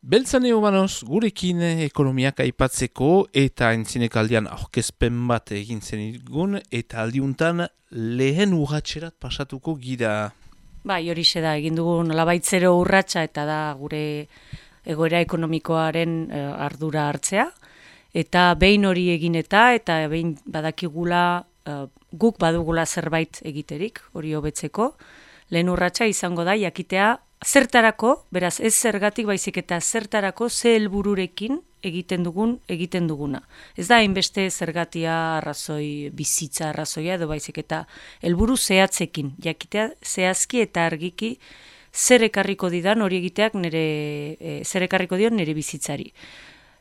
Beltzane Obanoz gurekin ekonomiak aipatzeko eta entzinekaldian aurkezpen bat egin zenigun eta aldiuntan lehen urratxerat pasatuko gira. Bai, horixe da, egin dugu nolabaitzero urratsa eta da gure egoera ekonomikoaren ardura hartzea. Eta behin hori egin eta behin badakigula guk badugula zerbait egiterik, hori hobetzeko. Lehen urratsa izango da jakitea zertarako, beraz ez zergatik baizik eta zertarako ze helbururekin egiten duguna. Ez da hainbeste zergatia arrazoi, bizitza arrazoia edo baizik eta helburu zehatzekin, jakitea zehazki eta argiki zer ekarriko didan hori egiteak zer ekarriko dion nire bizitzari.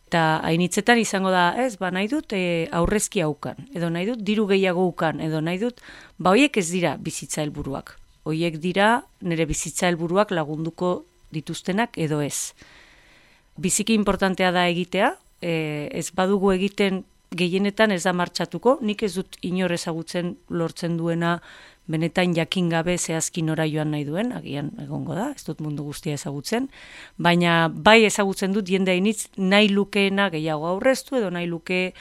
Eta hainitzetan izango da, nahi dut aurrezki haukan, edo nahi dut diru gehiago ukan, edo nahi dut, horiek ez dira bizitza helburuak. Horiek dira nire bizitza helburuak lagunduko dituztenak edo ez. Biziki importantea da egitea, ez badugu egiten gehienetan ez da martxatuko, nik ez dut inor ezagutzen lortzen duena benetan jakin gabe zehazki nora joan nahi duen, agian egongo da, ez dut mundu guztia ezagutzen, baina bai ezagutzen dut jende hainitz nahi lukeena gehiago aurreztu edo nahi luke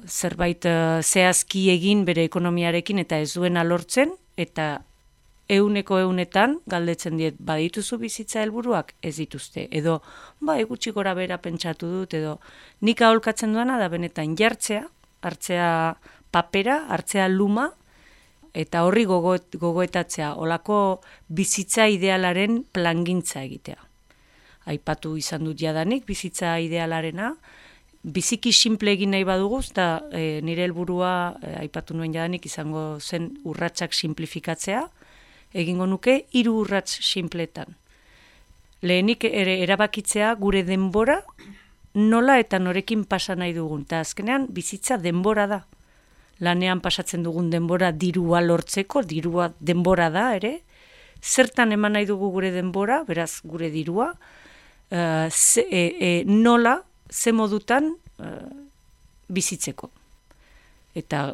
zerbait zehazki egin bere ekonomiarekin eta ez duena lortzen, eta ehunetan galdetzen diet badituzu bizitza helburuak ez dituzte, edo gutxi gora bera pentsatu dut, edo nik aholkatzen duena da benetan jartzea, hartzea papera, hartzea luma, eta horri gogoetatzea, olako bizitza idealaren plangintza egitea. Aipatu izan dut jadanik bizitza idealarena, biziki simple egin nahi badugu, eta nire helburua aipatu nuen jadanik izango zen urratsak simplifikatzea, egingo nuke 3 urrats sinpletan. Lehenik erabakitzea gure denbora nola eta norekin pasa nahi dugun. Eta azkenean bizitza denbora da. Lanean pasatzen dugun denbora dirua lortzeko, dirua denbora da ere. Zertan eman nahi dugu gure denbora, beraz gure dirua, nola, ze modutan bizitzeko. Eta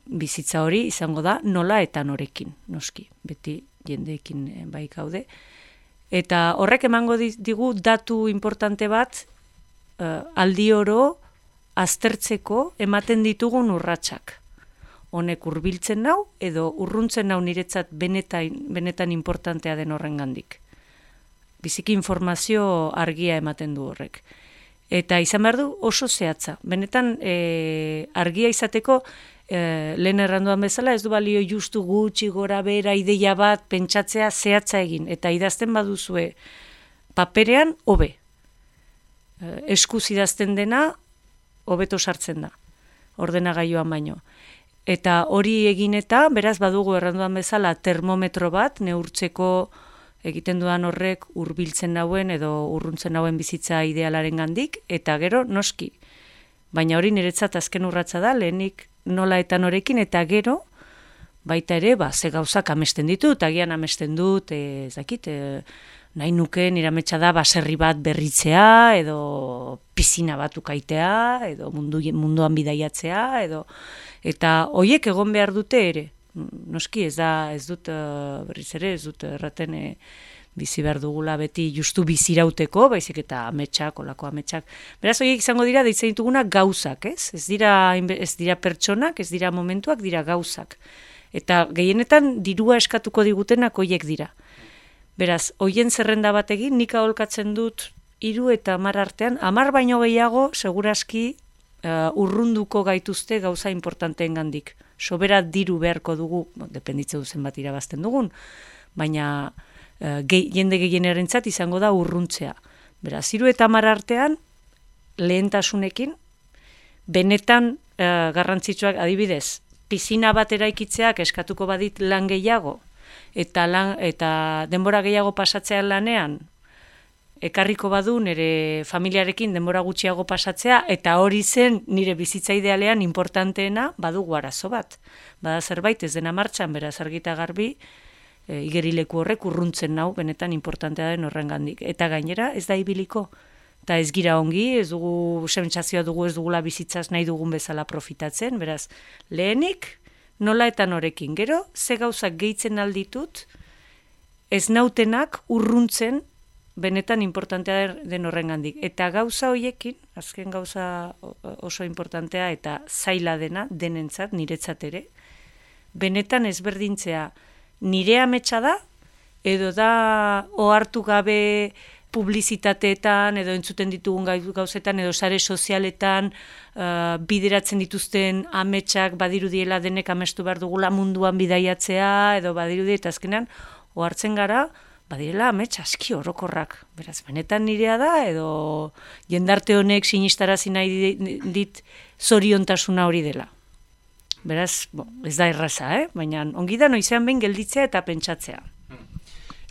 bizitza hori izango da nola eta norekin, noski, beti jendeekin bai gaude. Eta horrek emango digu datu importante bat aldi oro aztertzeko ematen ditugun urratsak. Honek hurbiltzen nau edo urruntzen nau niretzat benetan importantea den horrengandik. Biziki informazio argia ematen du horrek. Eta izan behar du oso zehatza. Benetan argia izateko lehen erranduan bezala, ez du balio justu gutxi gora bera ideia bat pentsatzea zehatza egin, eta idazten baduzue paperean hobe. Eskuz idazten dena hobeto sartzen da, ordenagailuan baino. Eta hori egin eta, beraz badugu erranduan bezala termometro bat, neurtzeko egiten dudan horrek hurbiltzen nauen edo urruntzen nauen bizitza idealaren gandik, eta gero noski. Baina hori niretzat azken urratsa da, lehenik nola eta norekin, eta gero, baita ere, ze gauzak amesten ditut, agian amesten dut, nahi nuke nire ametsa da baserri bat berritzea, edo pisina bat ukaitea, edo munduan bidaiatzea, eta hoiek egon behar dute ere. Noski ez dut erraten bizi behar dugula beti justu bizirauteko, baizik eta ametsak, olako ametsak. Beraz, horiek izango dira deitzen dituguna gauzak, ez? Ez dira pertsonak, ez dira momentuak, dira gauzak. Eta gehienetan dirua eskatuko digutenak horiek dira. Beraz, horien zerrenda bat egin, nik aholkatzen dut 3 eta 10 artean, 10 baino gehiago, seguraski urrunduko gaituzte gauza importanteen gandik. Sobera diru beharko dugu, dependitze duzen bat irabazten dugun, baina jende gehienarentzat izango da urruntzea. Beraz, 3 eta 10 artean, lehentasunekin, benetan garrantzitsuak adibidez, pisina bat eraikitzeak eskatuko badit lan gehiago, eta denbora gehiago pasatzean lanean, ekarriko badu nire familiarekin denbora gutxiago pasatzea, eta hori zen nire bizitza idealean importanteena badugu arazo bat. Bada zerbait ez dena martxan, beraz argita garbi, igerileku horrek urruntzen nau, benetan importantea den horrengandik. Eta gainera ez da ibiliko. Eta ez gira ongi, ez dugu sentsazioa dugu, ez dugula bizitzaz nahi dugun bezala profitatzen, beraz, lehenik nola eta norekin. Gero, ze gauzak gehitzen alditut, ez nautenak urruntzen benetan importantea den horrengandik. Eta gauza hoiekin, azken gauza oso importantea eta zaila dena, denentzat, niretzat ere, benetan ezberdintzea nire ametsa da, edo da ohartu gabe publizitateetan, edo entzuten ditugun gauzetan, edo sare sozialetan bideratzen dituzten ametsak badirudiela denek amestu behar dugula munduan bidaiatzea, edo badirudi eta azkenan, ohartzen gara, badirela amets aski orokorrak. Beraz, benetan nirea da, edo jendarte honek sinistarazi nahi dit zoriontasuna hori dela. Beraz, ez da erraza, baina ongi da noizean behin gelditzea eta pentsatzea.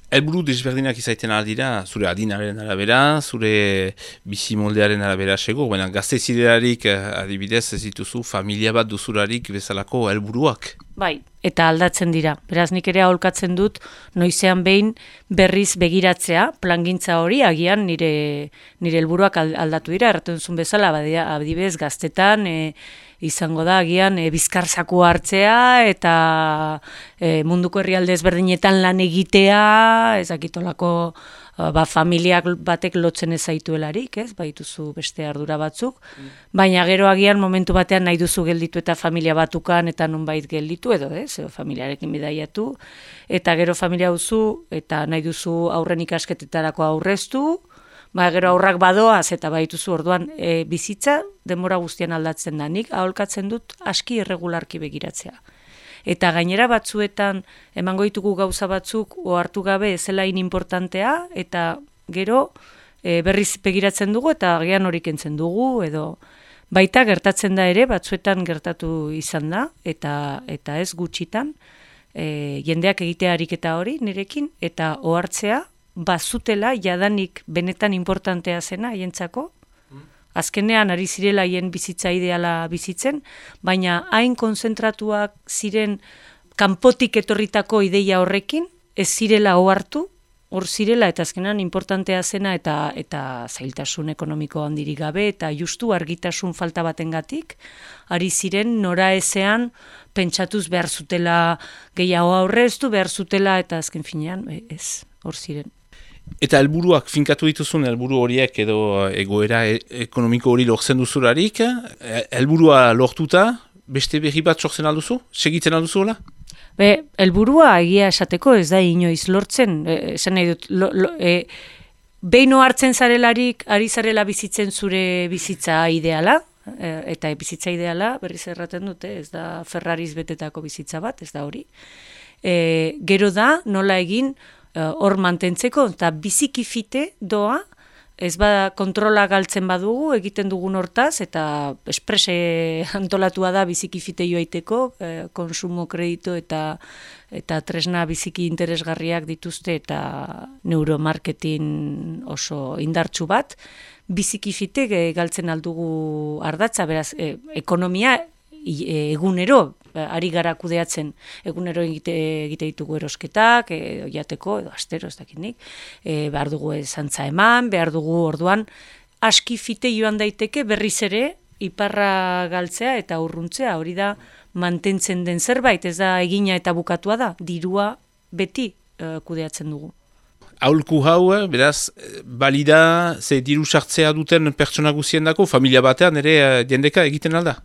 Helburu desberdinak izaiten aldira, zure adinaren arabera, zure bizimoldearen arabera sego, baina gazte zirelarik adibidez ez dituzu familia bat duzularik bezalako helburuak. Bai, eta aldatzen dira. Beraz, nik ere aholkatzen dut noizean behin berriz begiratzea, plangintza hori, agian nire helburuak aldatu dira, erraten zuen bezala, adibidez gaztetan, izango da, agian, bizkarzaku hartzea, eta munduko herrialde ezberdinetan lan egitea, ezakitolako familiak batek lotzen ez zaituelarik, ez? Baituzu beste ardura batzuk, baina gero agian momentu batean nahi duzu gelditu eta familia batukan eta nonbait gelditu edo, familiarekin bidaiatu, eta gero familia duzu eta nahi duzu aurren ikasketetarako aurreztu, gero aurrak badoaz eta baituzu orduan bizitza denbora guztian aldatzen da. Nik aholkatzen dut aski irregularki begiratzea. Eta gainera batzuetan emango ditugu gauza batzuk ohartu gabe ezela importantea eta gero berriz begiratzen dugu eta agian hori kentzen dugu edo baita gertatzen da ere batzuetan gertatu izan da eta ez gutxitan jendeak egitea ariketa hori nirekin eta ohartzea bazutela jadanik benetan importantea zena haientzako. Azkenean ari zirela haien bizitza ideala bizitzen, baina hain konzentratuak ziren kanpotik etorritako ideia horrekin, ez zirela ohartu, hor zirela eta azkenean importantea zena eta zailtasun ekonomiko handirik gabe eta justu argitasun falta batengatik, ari ziren nora ezean pentsatuz behar zutela gehiago aurreztu, behar zutela eta azken finean ez, hor ziren. Eta helburuak finkatu dituzun helburu horiek edo egoera ekonomiko hori lortzen duzularik, helburua lortuta, beste berri bat sortzen alduzu? Segitzen alduzu hola? Helburua egia esateko ez da inoiz lortzen, esan nahi dut, behin hartzen zarelarik, ari zarela bizitzen zure bizitza ideala, eta bizitza ideala, berriz erraten dute, ez da Ferrariz betetako bizitza bat, ez da hori. Gero da, nola egin, hor mantentzeko, eta biziki fite doa, ez bada kontrola galtzen badugu, egiten dugun hortaz, eta esprese antolatua da biziki fite joaiteko, konsumo kredito eta tresna biziki interesgarriak dituzte, eta neuromarketing oso indartsu bat, biziki fite galtzen aldugu ardatza, beraz, ekonomia egunero, ari gara kudeatzen, egunero egite ditugu erosketak, jateko, edo astero, ez dakinik, behar dugu zantza eman, behar dugu orduan, aski fite joan daiteke berriz ere, iparra galtzea eta urruntzea, hori da mantentzen den zerbait, ez da egina eta bukatua da, dirua beti kudeatzen dugu. Aholku hau, beraz, balida, ze diru sartzea duten pertsona guziendako, familia batean ere jendeka egiten alda?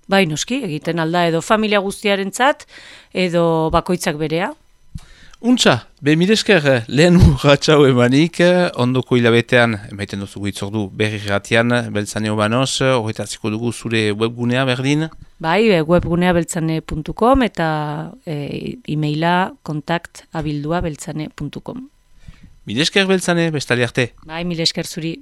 Bai, noski, egiten alda edo familia guztiarentzat edo bakoitzak berea. Untxa, milesker lehen urratxau emanik, ondoko hilabetean, emaiten duzu hitzordu berri ratian, Beltzane Obanos, horretatziko dugu zure webgunea berdin? Bai, webgunea beltzane.com eta e-maila kontaktabildua beltzane.com. Milesker Beltzane, bestali arte. Bai, milesker zuri.